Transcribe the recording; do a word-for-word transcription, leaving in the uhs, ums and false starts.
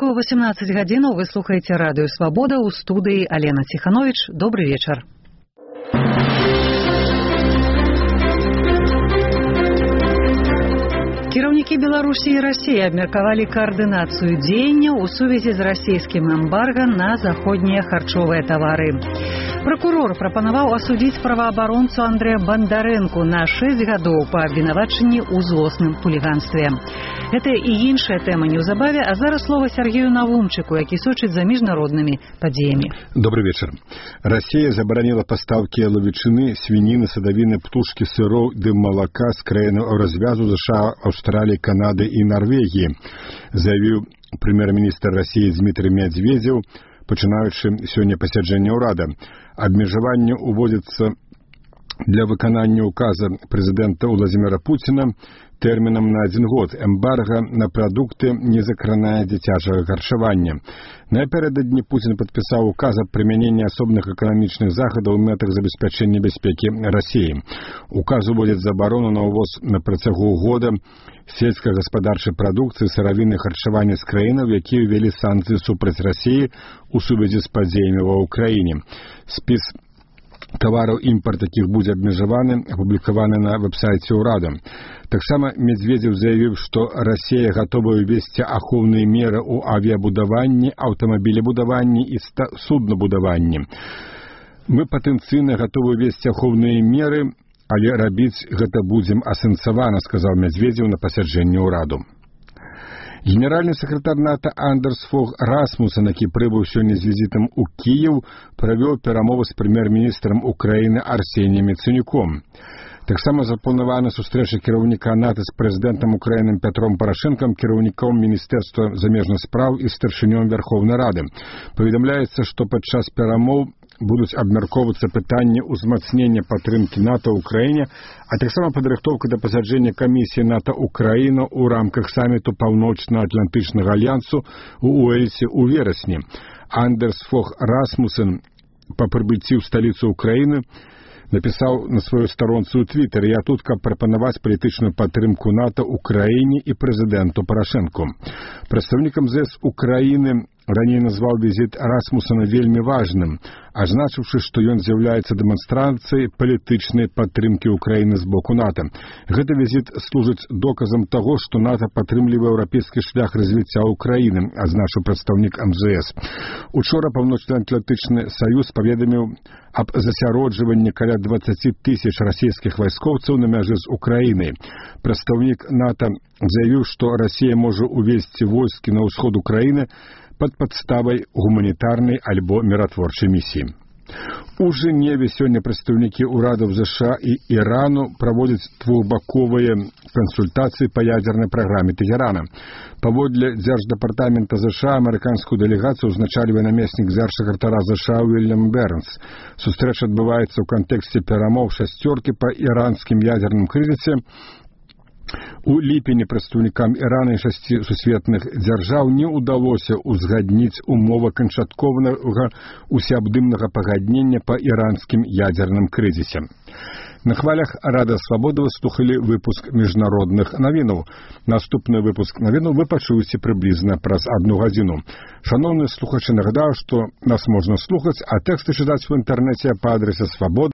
Беларускую восемнадцать гадзінаў вы слухаеце радыё Свабода, у студыі Алена Ціхановіч. Добры вечар. Кіраўнікі Беларусі і Расіі абмеркавалі каардынацыю дзеянняў у сувязі з расійскім эмбарга на заходнія харчовыя тавары. Пракурор прапанаваў асудзіць праваабаронцу Андрэя Бандарэнку на шэсць гадоў па абвінавачанні ў злосным хуліганстве. Гэта і іншая тэма неўзабаве, а зараз слова Сергею Навумчыку, які сочыць за міжнароднымі падзеямі. Добрый вечер. Россия забараніла пастаўкі яловічыны, свініны, садавіны, птушкі, сыроў ды малака з краінаў развязу ЗША, Австралии, Канады и Норвегии, заявил премьер-министр России Дмитрий Медведев, пачынаючы сёння пасяджэнне ўрада. Абмежаванне уводзіцца для выканання указа президента Владимира Путина тэрмінам на один год. Эмбарго на прадукты не закранае дзіцячага харчавання. Напярэдадні Путин падпісаў указ аб прымяненні асобных эканамічных захадаў у мэтах забеспячэння бяспекі России. Указ уводзіць забарону на ўвоз на працягу года сельскагаспадарчай прадукцыі, сыравіны харчавання з краінаў, якія ўвялі санкцыі супраць России у сувязі з падзеямі ва ўкраіне. Спіс тавараў імпарт якіх будзе абмежаваны, апублікаваны на веб-сайце ўрада. Таксама Медведев заявіў, што Расія гатова ўвесці ахоўныя меры ў авіябудаванні, аўтамабілебудаванні і суднабудаванні. Мы патэнцыйна гатовы ўвесці ахоўныя меры, але рабіць гэта будзем асэнсавана, сказаў Медведев на пасяджэнні ўраду. Генеральный секретарь НАТО Андерс Фог Расмуссен, які прыбыў сёння з візітам у Кіеў, правёў перамовы з прэм'ер-міністрам Украіны Арсеніем Яценюком. Таксама запланавана сустрэча кіраўніка НАТО з прэзідэнтам Украіны Пятром Парашэнкам, кіраўніком Міністэрства замежных спраў і старшынём Верховнай Рады. Паведамляецца, што падчас перамоў будуць абмяркоўвацца пытанні ўзмацнення падтрымкі НАТО ў краіне, а таксама падрыхтоўка да пасяджэння камісіі НАТО Украіна ў рамках саміту Паўночна-Атлантычнага альянсу ў Уэльсе ў верасні. Андерс Фог Расмуссен па прыбыцці ў сталіцу Украіны напісаў на сваёй старонцы ў Твиттер: «Я тут, каб прапанаваць палітычную падтрымку НАТО Украіне і прэзідэнту Парашэнку». Прадстаўнік эм зэ эс Украіны раней назваў візіт Расмуссена вельмі важным, азначыўшы, што ён з'яўляецца дэманстрацыяй палітычнай падтрымкі Украіны з боку НАТО. Гэты візіт служыць доказам таго, што НАТО падтрымлівае еўрапейскі шлях развіцця Украіны, азначыў прадстаўнік эм зэ эс. Учора Паўночна-Атлантычны саюз паведаміў аб засяроджванні каля дваццаць тысяч расійскіх вайскоўцаў на мяжы з Украінай. Прадстаўнік НАТО заявіў, што Расія можа увесці войскі на ўсход Украіны пад падставай гуманітарнай альбо міратворчай місіі. У Жэневе сёння прадстаўнікі ўрадаў ЗША і Ірану праводзяць двухбаковыя кансультацыі па ядзернай праграме Тэгерана. Паводле дзярждэпартамента ЗША амерыканскую дэлегацыю узначальвае намеснік дзяржсакратара ЗША Уільям Бернс. Сустрэча адбываецца ў кантэксце перамоў шасцёркі па іранскім ядзерным крызісе. У ліпені прадстаўнікам Ірана і шасці сусветных дзяржаў не ўдалося ўзгадніць умовы канчатковага усеабдымнага пагаднення па іранскім ядзерным крызісе. На хвалях Рада Свабоды вы слухалі выпуск міжнародных навінаў. Наступны выпуск навінаў вы пачуеце прыблізна праз адну гадзіну. Шаноўныя слухачы, нагадаю, што нас можна слухаць, а тэксты чытаць у інтэрнэце па адрасе свабода